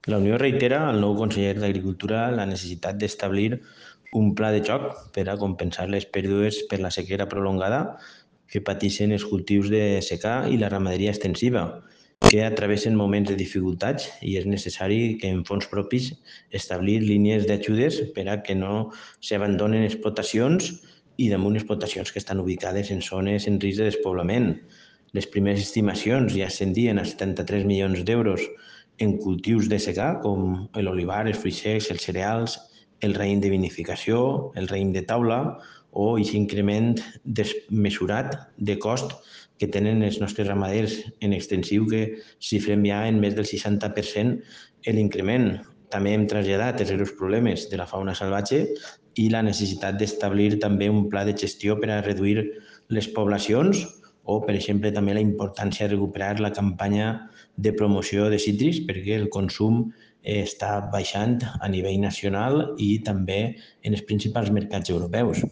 La Unió reitera al nou conseller d'Agricultura la necessitat d'establir un pla de xoc per a compensar les pèrdues per la sequera prolongada que pateixen els cultius de secà i la ramaderia extensiva, que travessen moments de dificultats i és necessari que en fons propis establir línies d'ajudes per a que no s'abandonen explotacions i damunt explotacions que estan ubicades en zones en risc de despoblament. Les primeres estimacions ja ascendien a 73 milions d'euros en cultius de secà com l'olivar, els fruits secs, els cereals, el raïm de vinificació, el raïm de taula o aquest increment desmesurat de cost que tenen els nostres ramaders en extensiu que xifrem ja en més del 60% l'increment. També hem traslladat els greus problemes de la fauna salvatge i la necessitat d'establir també un pla de gestió per a reduir les poblacions o, per exemple, també la importància de recuperar la campanya de promoció de cítrics perquè el consum està baixant a nivell nacional i també en els principals mercats europeus.